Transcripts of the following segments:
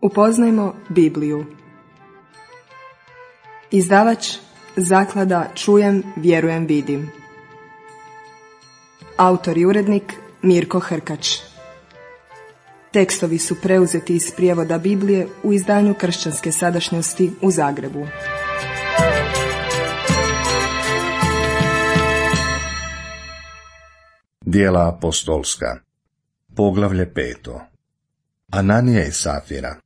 Upoznajmo Bibliju. Izdavač Zaklada Čujem, vjerujem, vidim. Autor i urednik Mirko Hrkač. Tekstovi su preuzeti iz prijevoda Biblije u izdanju Kršćanske sadašnjosti u Zagrebu. Djela apostolska, poglavlje 5. Ananija i Safira.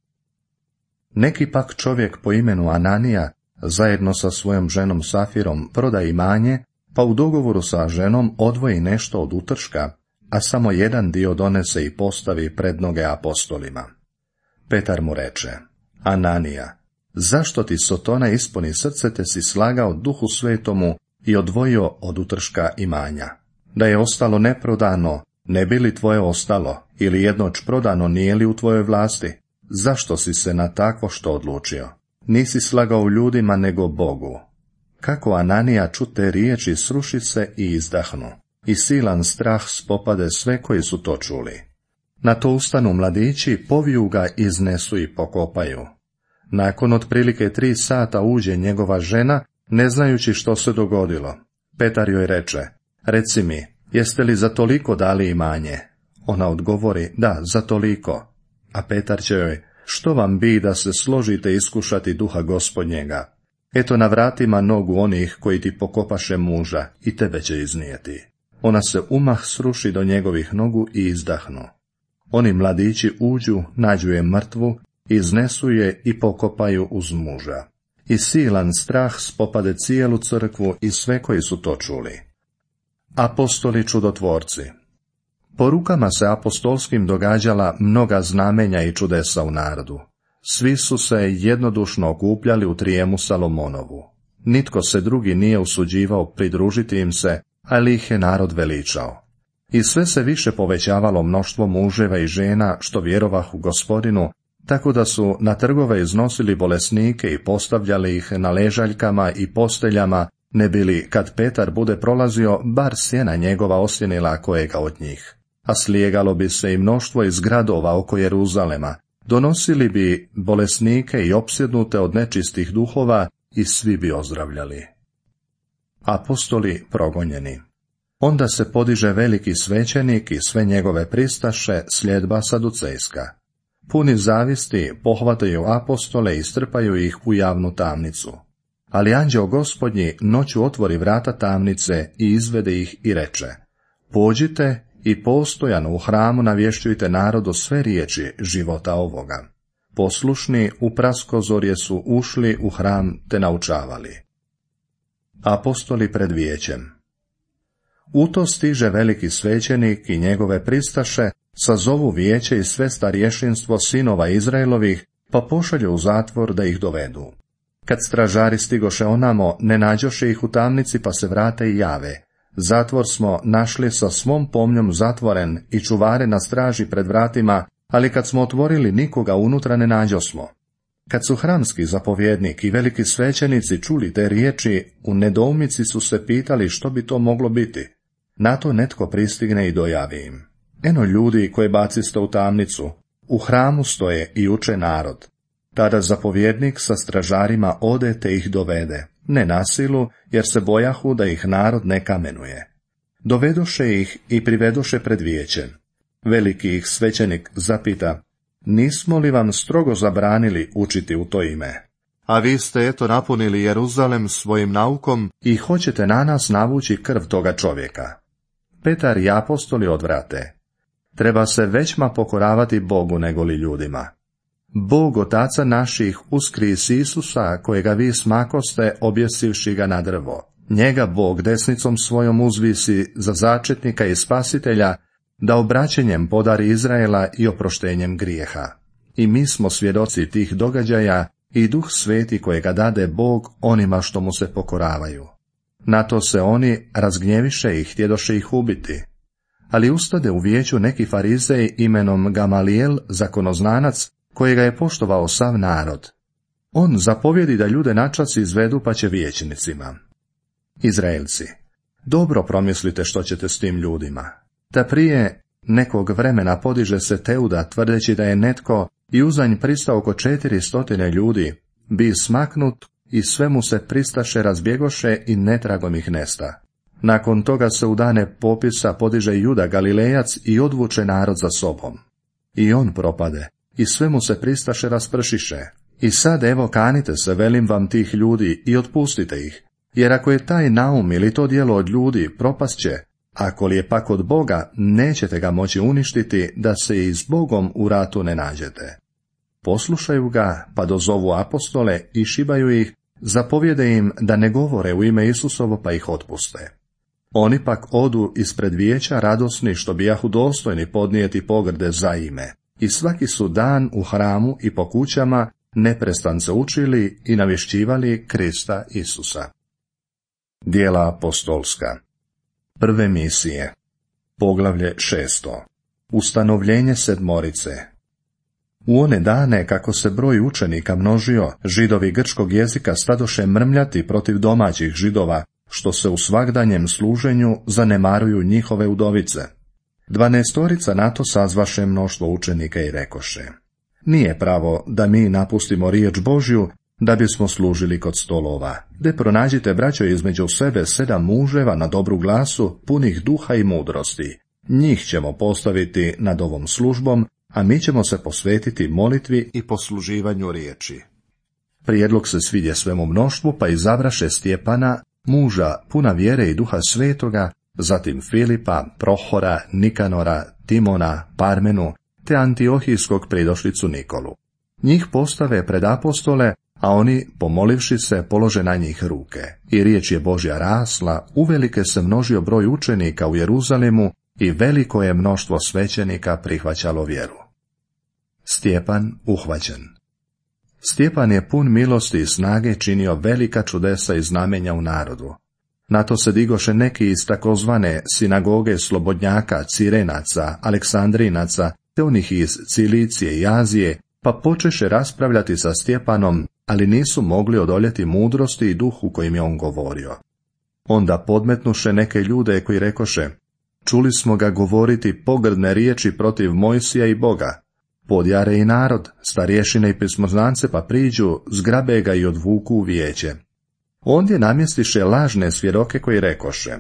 Neki pak čovjek po imenu Ananija zajedno sa svojom ženom Safirom proda imanje, pa u dogovoru sa ženom odvoji nešto od utrška, a samo jedan dio donese i postavi pred noge apostolima. Petar mu reče: Ananija, zašto ti Sotona ispuni srce te si slagao Duhu Svetomu i odvojio od utrška imanja? Da je ostalo neprodano, ne bi li tvoje ostalo, ili jednoć prodano, nije li u tvojoj vlasti? Zašto si se na takvo što odlučio? Nisi slagao ljudima nego Bogu. Kako Ananija čute riječi, sruši se i izdahnu, i silan strah spopade sve koji su to čuli. Na to ustanu mladići, poviju ga, iznesu i pokopaju. Nakon otprilike 3 sata uđe njegova žena, ne znajući što se dogodilo. Petar joj reče: Reci mi, jeste li za toliko dali imanje? Ona odgovori: Da, za toliko. A Petar će joj: Što vam bi da se složite iskušati Duha Gospodnjega? Eto, na vratima nogu onih koji ti pokopaše muža i tebe će iznijeti. Ona se umah sruši do njegovih nogu i izdahnu. Oni mladići uđu, nađu je mrtvu, iznesu je i pokopaju uz muža. I silan strah spopade cijelu crkvu i sve koji su to čuli. Apostoli čudotvorci. Po rukama se apostolskim događala mnoga znamenja i čudesa u narodu. Svi su se jednodušno okupljali u Trijemu Salomonovu. Nitko se drugi nije usuđivao pridružiti im se, ali ih je narod veličao. I sve se više povećavalo mnoštvo muževa i žena što vjerovahu Gospodinu, tako da su na trgove iznosili bolesnike i postavljali ih na ležaljkama i posteljama, ne bili, kad Petar bude prolazio, bar sjena njegova osjenila kojega od njih. A slijegalo bi se i mnoštvo iz gradova oko Jeruzalema, donosili bi bolesnike i opsjednute od nečistih duhova i svi bi ozdravljali. Apostoli progonjeni. Onda se podiže veliki svećenik i sve njegove pristaše, sljedba saducejska. Puni zavisti pohvataju apostole i strpaju ih u javnu tamnicu. Ali anđeo Gospodnji noću otvori vrata tamnice i izvede ih i reče: Pođite i postojano u hramu navješćujte narodu sve riječi života ovoga. Poslušni u praskozorje su ušli u hram te naučavali. Apostoli pred vijećem. U to stiže veliki svećenik i njegove pristaše, sazovu vijeće i sve starješinstvo sinova Izraelovih, pa pošalju u zatvor da ih dovedu. Kad stražari stigoše onamo, ne nađoše ih u tamnici, pa se vrate i jave: Zatvor smo našli sa svom pomnjom zatvoren i čuvare na straži pred vratima, ali kad smo otvorili, nikoga unutra ne nađosmo. Kad su hramski zapovjednik i veliki svećenici čuli te riječi, u nedoumici su se pitali što bi to moglo biti. Na to netko pristigne i dojavi im: Eno ljudi koje baciste u tamnicu, u hramu stoje i uče narod. Tada zapovjednik sa stražarima ode te ih dovede, ne na silu, jer se bojahu da ih narod ne kamenuje. Dovedoše ih i privedoše pred vijeće. Veliki ih svećenik zapita: Nismo li vam strogo zabranili učiti u to ime? A vi ste eto napunili Jeruzalem svojim naukom i hoćete na nas navući krv toga čovjeka. Petar i apostoli odvrate: Treba se većma pokoravati Bogu nego li ljudima. Bog otaca naših uskris Isusa, kojega vi smakoste objesivši ga na drvo. Njega Bog desnicom svojom uzvisi za začetnika i spasitelja, da obraćenjem podari Izraela i oproštenjem grijeha. I mi smo svjedoci tih događaja i Duh Sveti kojega dade Bog onima što mu se pokoravaju. Na to se oni razgnjeviše i htjedoše ih ubiti. Ali ustade u vijeću neki farizej imenom Gamalijel, zakonoznanac, kojega je poštovao sav narod. On zapovjedi da ljude načas izvedu, pa će vijećnicima: Izraelci, dobro promislite što ćete s tim ljudima. Da prije Nekog vremena podiže se Teuda, tvrdeći da je netko i uzanj pristao oko 400 ljudi, bi smaknut i sve mu se pristaše razbjegoše i netragom ih nesta. Nakon toga se u dane popisa podiže Juda Galilejac i odvuče narod za sobom. I on propade, i sve mu se pristaše raspršiše. I sad evo kanite se, velim vam, tih ljudi i otpustite ih, jer ako je taj naum ili to djelo od ljudi, propast će, ako li je pak od Boga, nećete ga moći uništiti, da se i s Bogom u ratu ne nađete. Poslušaju ga, pa dozovu apostole i šibaju ih, zapovjede im da ne govore u ime Isusovo, pa ih otpuste. Oni pak odu ispred vijeća radosni, što bijahu dostojni podnijeti pogrde za ime, i svaki su dan u hramu i po kućama neprestance učili i navješćivali Krista Isusa. Djela apostolska. Prve misije. Poglavlje 6. Ustanovljenje sedmorice. U one dane, kako se broj učenika množio, Židovi grčkog jezika stadoše mrmljati protiv domaćih Židova, što se u svagdanjem služenju zanemaruju njihove udovice. 12 na to sazvaše mnoštvo učenika i rekoše: nije pravo da mi napustimo riječ Božju, da bismo služili kod stolova. De pronađite, braćo, između sebe 7 muževa na dobru glasu, punih duha i mudrosti. Njih ćemo postaviti nad ovom službom, a mi ćemo se posvetiti molitvi i posluživanju riječi. Prijedlog se svidje svemu mnoštvu, pa izabraše Stjepana, muža puna vjere i duha svetoga, zatim Filipa, Prohora, Nikanora, Timona, Parmenu, te Antiohijskog pridošlicu Nikolu. Njih postave pred apostole, a oni, pomolivši se, polože na njih ruke. I riječ je Božja rasla, uvelike se množio broj učenika u Jeruzalemu i veliko je mnoštvo svećenika prihvaćalo vjeru. Stjepan uhvaćen. Stjepan je pun milosti i snage činio velika čudesa i znamenja u narodu. Na to se digoše neki iz takozvane sinagoge slobodnjaka, Cirenaca, Aleksandrinaca, te onih iz Cilicije i Azije, pa počeše raspravljati sa Stjepanom, ali nisu mogli odoljeti mudrosti i duhu kojim je on govorio. Onda podmetnuše neke ljude koji rekoše: čuli smo ga govoriti pogrdne riječi protiv Mojsija i Boga. Podjare i narod, starješine i pismoznance, pa priđu, zgrabe ga i odvuku u vijeće. Ondje namjestiše lažne svjedoke koji rekoše: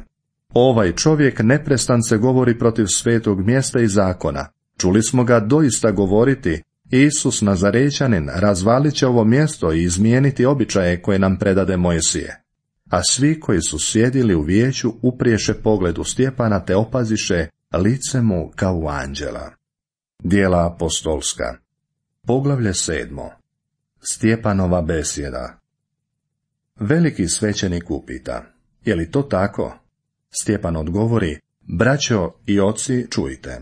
ovaj čovjek neprestance govori protiv svetog mjesta i zakona. Čuli smo ga doista govoriti: Isus Nazarećanin razvalit će ovo mjesto i izmijeniti običaje koje nam predade Mojsije. A svi koji su sjedili u vijeću upriješe pogled u Stjepana te opaziše lice mu kao u anđela. Djela apostolska. Poglavlje 7. Stjepanova besjeda. Veliki svećenik upita: je li to tako? Stjepan odgovori: braćo i oci, čujte.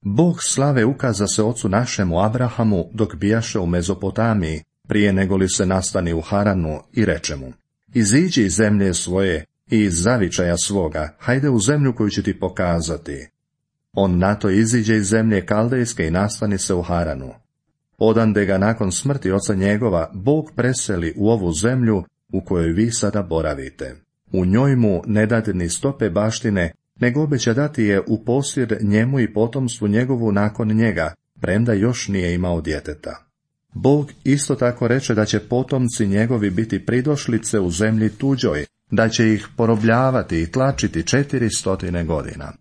Bog slave ukaza se ocu našemu Abrahamu dok bijaše u Mezopotamiji, prije nego li se nastani u Haranu, i reče mu: iziđi iz zemlje svoje i iz zavičaja svoga, hajde u zemlju koju ću ti pokazati. On na to iziđe iz zemlje Kaldejske i nastani se u Haranu. Odande ga nakon smrti oca njegova Bog preseli u ovu zemlju u kojoj vi sada boravite. U njoj mu ne dade ni stope baštine, nego obeća dati je u posjed njemu i potomstvu njegovu nakon njega, premda još nije imao djeteta. Bog isto tako reče da će potomci njegovi biti pridošlice u zemlji tuđoj, da će ih porobljavati i tlačiti 400 godina.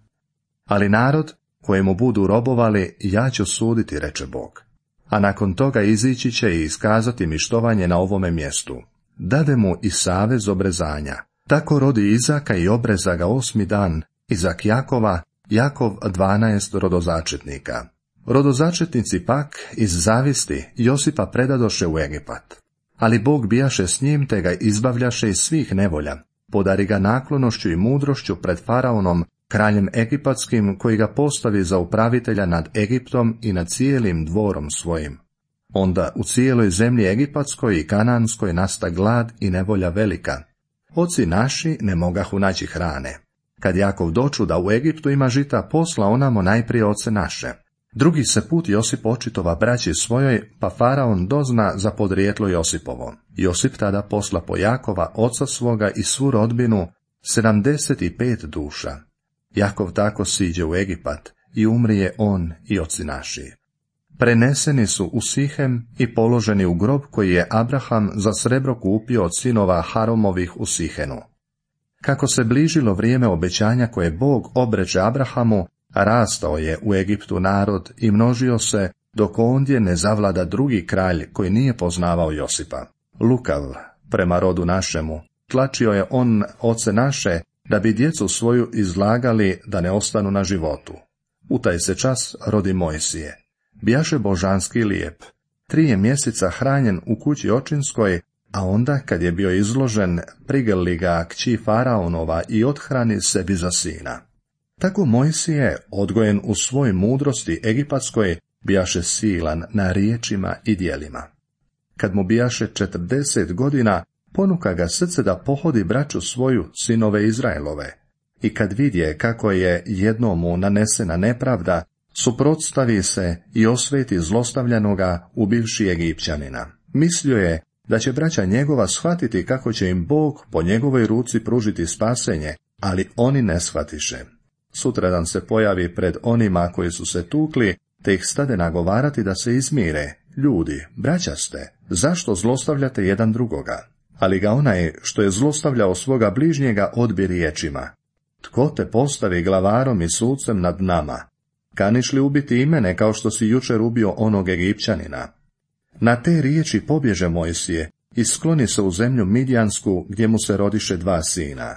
Ali narod kojemu budu robovali ja ću suditi, reče Bog. A nakon toga izići će i iskazati mi štovanje na ovome mjestu. Dade mu i savez obrezanja. Tako rodi Izaka i obreza ga 8. dan, Izak Jakova, Jakov 12 rodozačetnika. Rodozačetnici pak iz zavisti Josipa predadoše u Egipat. Ali Bog bijaše s njim te ga izbavljaše iz svih nevolja. Podari ga naklonošću i mudrošću pred faraonom, kraljem egipatskim, koji ga postavi za upravitelja nad Egiptom i nad cijelim dvorom svojim. Onda u cijeloj zemlji egipatskoj i kananskoj nasta glad i nevolja velika. Oci naši ne mogahu naći hrane. Kad Jakov doču da u Egiptu ima žita, posla onamo najprije oce naše. Drugi se put Josip očitova braći svojoj, pa faraon dozna za podrijetlo Josipovo. Josip tada posla po Jakova, oca svoga i svu rodbinu, 75 duša. Jakov tako siđe u Egipat i umrije on i oci naši. Preneseni su u Sihem i položeni u grob koji je Abraham za srebro kupio od sinova Haromovih u Sihenu. Kako se bližilo vrijeme obećanja koje Bog obreče Abrahamu, rastao je u Egiptu narod i množio se, dok ondje ne zavlada drugi kralj koji nije poznavao Josipa. Lukav, prema rodu našemu, tlačio je on oce naše, da bi djecu svoju izlagali da ne ostanu na životu. U taj se čas rodi Mojsije. Bijaše božanski lijep. 3 mjeseca hranjen u kući očinskoj, a onda, kad je bio izložen, prigrli ga kći Faraonova i othrani sebi za sina. Tako Mojsije, odgojen u svoj mudrosti egipatskoj, bijaše silan na riječima i djelima. Kad mu bijaše 40 godina, ponuka ga srce da pohodi braću svoju, sinove Izraelove. I kad vidje kako je jednomu nanesena nepravda, suprotstavi se i osveti zlostavljanoga, ubivši Egipćanina. Mislio je da će braća njegova shvatiti kako će im Bog po njegovoj ruci pružiti spasenje, ali oni ne shvatiše. Sutradan se pojavi pred onima koji su se tukli, te ih stade nagovarati da se izmire. Ljudi, braća ste, zašto zlostavljate jedan drugoga? Ali ga onaj što je zlostavljao svoga bližnjega odbi riječima. Tko te postavi glavarom i sucem nad nama? Kaniš li ubiti i mene kao što si jučer ubio onog Egipćanina? Na te riječi pobježe Mojsije i skloni se u zemlju Midjansku, gdje mu se rodiše 2 sina.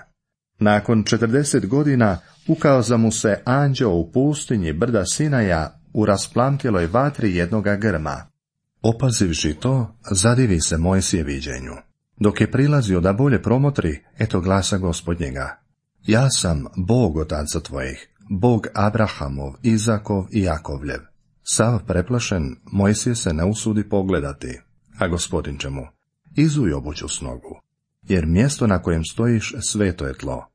Nakon 40 godina ukaza mu se anđeo u pustinji brda Sinaja u rasplamtjeloj vatri jednoga grma. Opazivši to, zadivi se Mojsije viđenju. Dok je prilazio da bolje promotri, eto glasa Gospodnjega. Ja sam Bog otaca tvojih, Bog Abrahamov, Izakov i Jakovljev. Sav preplašen, Mojsije se ne usudi pogledati, a Gospodin će mu: izuj obuću s nogu, jer mjesto na kojem stojiš sveto je tlo.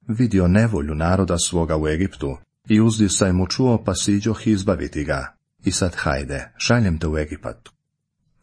Vidio nevolju naroda svoga u Egiptu i uzdisaj mu čuo, pa siđoh izbaviti ga. I sad hajde, šaljem te u Egipat.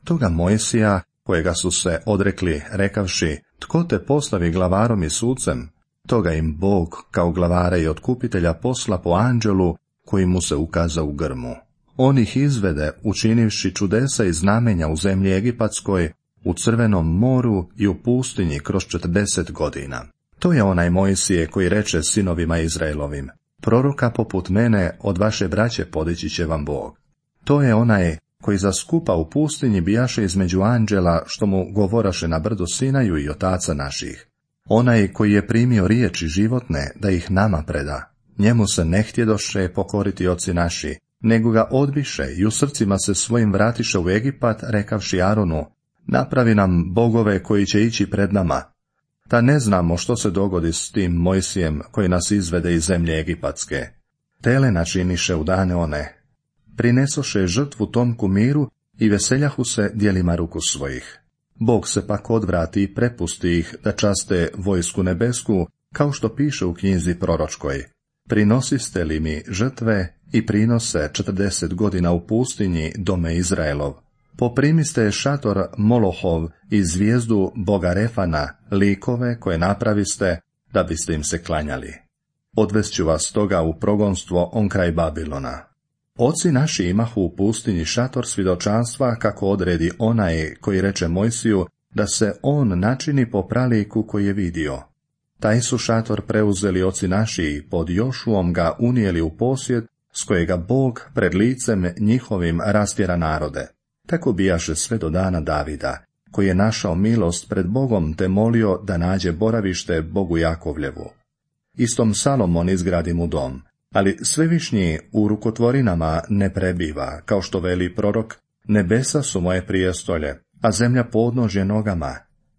Toga Mojsija, kojega su se odrekli, rekavši: tko te postavi glavarom i sucem? Toga im Bog kao glavara i otkupitelja posla po anđelu koji mu se ukaza u grmu. On ih izvede, učinivši čudesa i znamenja u zemlji egipatskoj, u Crvenom moru i u pustinji kroz 40 godina. To je onaj Mojsije koji reče sinovima Izraelovim: proroka poput mene od vaše braće podići će vam Bog. To je onaj koji zaskupa u pustinji bijaše između anđela što mu govoraše na brdu Sinaju i otaca naših. Onaj koji je primio riječi životne da ih nama preda. Njemu se ne htjedoše pokoriti oci naši, nego ga odbiše i u srcima se svojim vratiše u Egipat, rekavši Aronu: napravi nam bogove koji će ići pred nama. Ta ne znamo što se dogodi s tim Mojsijem koji nas izvede iz zemlje egipatske. Tele načiniše u dane one. Prinesoše žrtvu tom kumiru i veseljahu se djelima ruku svojih. Bog se pak odvrati i prepusti ih da časte vojsku nebesku, kao što piše u knjizi proročkoj: prinosiste li mi žrtve i prinose 40 godina u pustinji, dome Izraelov. Poprimiste šator Molohov i zvijezdu Boga Refana, likove koje napraviste da biste im se klanjali. Odvest vas toga u progonstvo on kraj Babilona. Oci naši imahu u pustinji šator svjedočanstva, kako odredi onaj koji reče Mojsiju da se on načini po praliku koji je vidio. Taj su šator preuzeli oci naši i pod Jošuom ga unijeli u posjed, s kojega Bog pred licem njihovim rastjera narode. Tako bijaše sve do dana Davida, koji je našao milost pred Bogom te molio da nađe boravište Bogu Jakovljevu. Istom Salomon izgradi mu dom, ali Svevišnji u rukotvorinama ne prebiva, kao što veli prorok: nebesa su moje prijestolje, a zemlja podnožje nogama.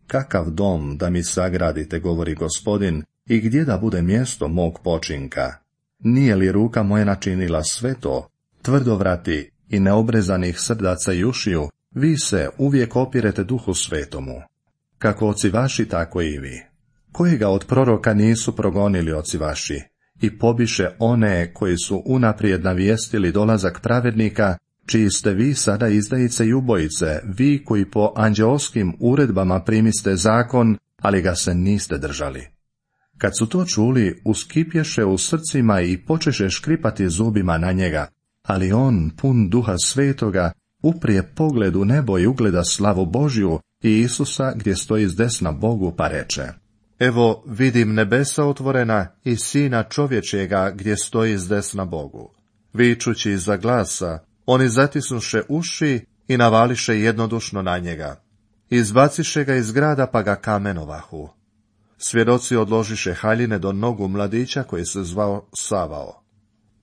Kakav dom da mi sagradite, govori Gospodin, i gdje da bude mjesto mog počinka? Nije li ruka moja načinila sve to? Tvrdovrati i neobrezanih srdaca i ušiju, vi se uvijek opirete Duhu Svetomu. Kako oci vaši, tako i vi. Kojega od proroka nisu progonili oci vaši? I pobiše one koji su unaprijed navijestili dolazak pravednika, čiji ste vi sada izdajice i ubojice, vi koji po anđeoskim uredbama primiste zakon, ali ga se niste držali. Kad su to čuli, uskipješe u srcima i počeše škripati zubima na njega, ali on, pun Duha Svetoga, uprije pogled u nebo i ugleda slavu Božju i Isusa gdje stoji zdesna Bogu, pa reče: Evo vidim nebesa otvorena i Sina čovječjega gdje stoji zdesna Bogu. Vičući iza glasa, oni zatisnuše uši i navališe jednodušno na njega. Izbaciše ga iz grada pa ga kamenovahu. Svjedoci odložiše haljine do nogu mladića koji se zvao Savao.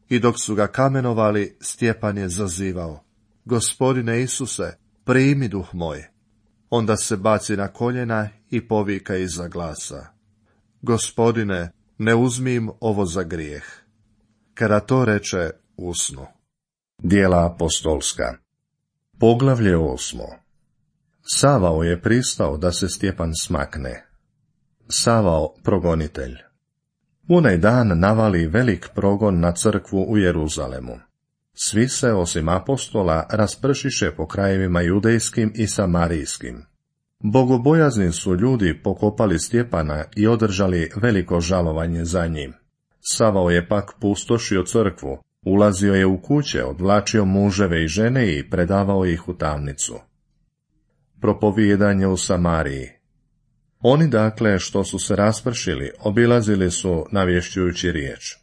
I dok su ga kamenovali, Stjepan je zazivao: Gospodine Isuse, primi duh moj. Onda se baci na koljena i povika iza glasa: Gospodine, ne uzmi im ovo za grijeh. Kada to reče, usnu. Djela apostolska. Poglavlje 8. Savao je pristao da se Stjepan smakne. Savao, progonitelj. U onaj dan navali velik progon na crkvu u Jeruzalemu. Svi se, osim apostola, raspršiše po krajevima judejskim i samarijskim. Bogobojazni su ljudi pokopali Stjepana i održali veliko žalovanje za njim. Savao je pak pustošio crkvu, ulazio je u kuće, odvlačio muževe i žene i predavao ih u tamnicu. Propovijedanje u Samariji. Oni dakle, što su se raspršili, obilazili su navješćujući riječ.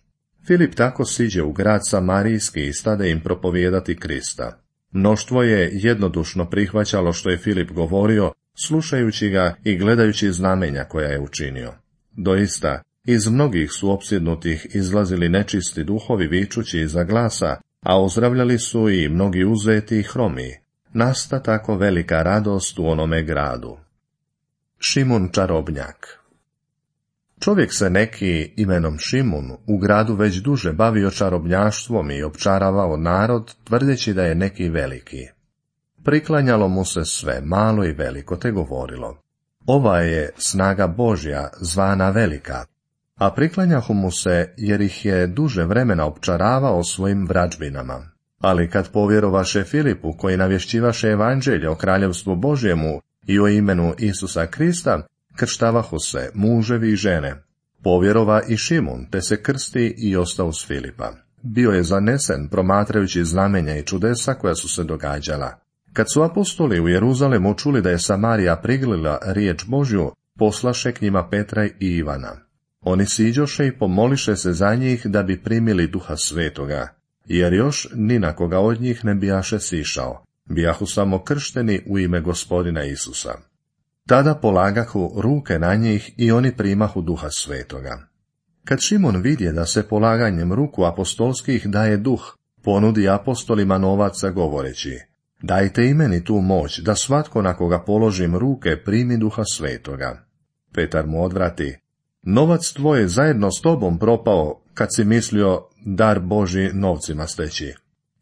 Filip tako siđe u grad Samarijski i stade im propovijedati Krista. Mnoštvo je jednodušno prihvaćalo što je Filip govorio, slušajući ga i gledajući znamenja koja je učinio. Doista, iz mnogih su opsjednutih izlazili nečisti duhovi vičući iza glasa, a ozdravljali su i mnogi uzeti i hromi. Nasta tako velika radost u onome gradu. Šimun čarobnjak. Čovjek se neki imenom Šimun u gradu već duže bavio čarobnjaštvom i opčaravao narod, tvrdeći da je neki veliki. Priklanjalo mu se sve, malo i veliko, te govorilo: Ova je snaga Božja, zvana velika. A priklanjahu mu se, jer ih je duže vremena opčaravao svojim vrađbinama. Ali kad povjerovaše Filipu, koji navješćivaše evanđelje o kraljevstvu Božjemu i o imenu Isusa Krista, krštavahu se muževi i žene. Povjerova i Šimun, te se krsti i ostao s Filipa. Bio je zanesen, promatrajući znamenja i čudesa koja su se događala. Kad su apostoli u Jeruzalemu čuli da je Samarija priglila riječ Božju, poslaše k njima Petra i Ivana. Oni siđoše i pomoliše se za njih da bi primili Duha Svetoga, jer još ni na koga od njih ne bijaše sišao, bijahu samo kršteni u ime Gospodina Isusa. Tada polagahu ruke na njih i oni primahu Duha Svetoga. Kad Šimun vidje da se polaganjem ruku apostolskih daje duh, ponudi apostolima novaca govoreći: Dajte i meni tu moć, da svatko na koga položim ruke primi Duha Svetoga. Petar mu odvrati: Novac tvoj je zajedno s tobom propao, kad si mislio dar Božji novcima steći.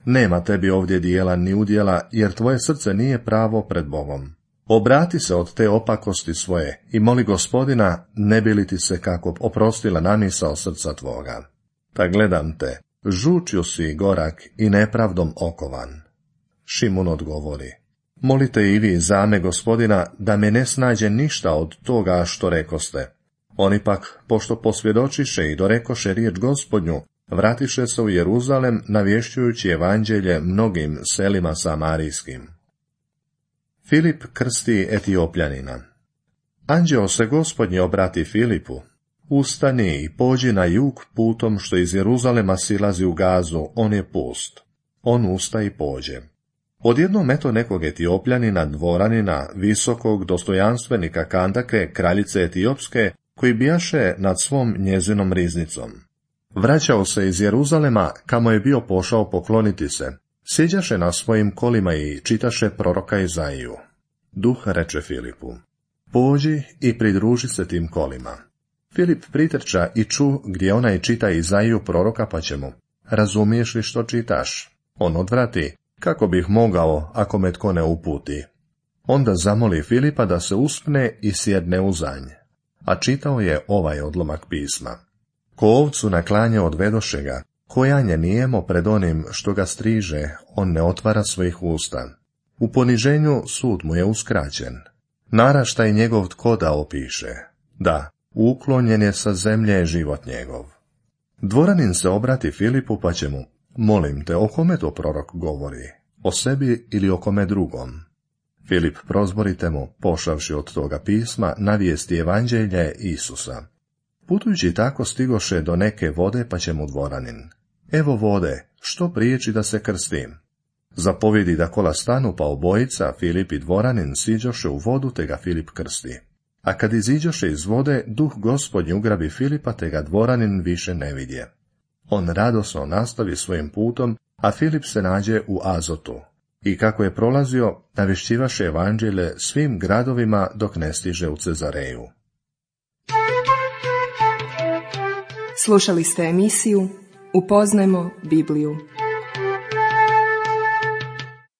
Nema tebi ovdje dijela ni udjela, jer tvoje srce nije pravo pred Bogom. Obrati se od te opakosti svoje i moli Gospodina, ne bi li ti se kako oprostila namisao srca tvoga. Ta gledam te, žučju si gorak i nepravdom okovan. Šimun odgovori: Molite i vi za me Gospodina, da me ne snađe ništa od toga što rekoste. Oni pak, pošto posvjedočiše i dorekoše riječ Gospodnju, vratiše se u Jeruzalem, navješćujući evanđelje mnogim selima samarijskim. Filip krsti Etiopljanina. Anđeo se Gospodnji obrati Filipu: Ustani i pođi na jug putom što iz Jeruzalema silazi u Gazu, on je pust. On usta i pođe. Odjednom eto nekog Etiopljanina, dvoranina, visokog dostojanstvenika Kandake, kraljice Etiopske, koji bijaše nad svom njezinom riznicom. Vraćao se iz Jeruzalema, kamo je bio pošao pokloniti se. Sjeđaše na svojim kolima i čitaše proroka Izaiju. Duh reče Filipu: Pođi i pridruži se tim kolima. Filip pritrča i ču gdje onaj čita Izaiju proroka, pa će mu: Razumiješ li što čitaš? On odvrati: Kako bih mogao, ako me tko ne uputi? Onda zamoli Filipa da se uspne i sjedne u zanj. A čitao je ovaj odlomak pisma: Ko ovcu na klanje odvedoše ga, kojanje nijemo pred onim što ga striže, on ne otvara svojih usta. U poniženju sud mu je uskraćen. Naraštaj njegov tko da opiše. Da, uklonjen je sa zemlje život njegov. Dvoranin se obrati Filipu pa će mu, molim te, o kome to prorok govori, o sebi ili o kome drugom? Filip prozborite mu, pošavši od toga pisma, navijesti evanđelje Isusa. Putujući tako stigoše do neke vode, pa će mu dvoranin, evo vode, što priječi da se krstim? Zapovidi da kola stanu, pa obojica, Filip i dvoranin, siđoše u vodu, te ga Filip krsti. A kad iziđoše iz vode, duh Gospodnji ugrabi Filipa, te ga dvoranin više ne vidje. On radosno nastavi svojim putom, a Filip se nađe u Azotu. I kako je prolazio, navješćivaše evanđelje svim gradovima dok ne stiže u Cezareju. Slušali ste emisiju Upoznajmo Bibliju.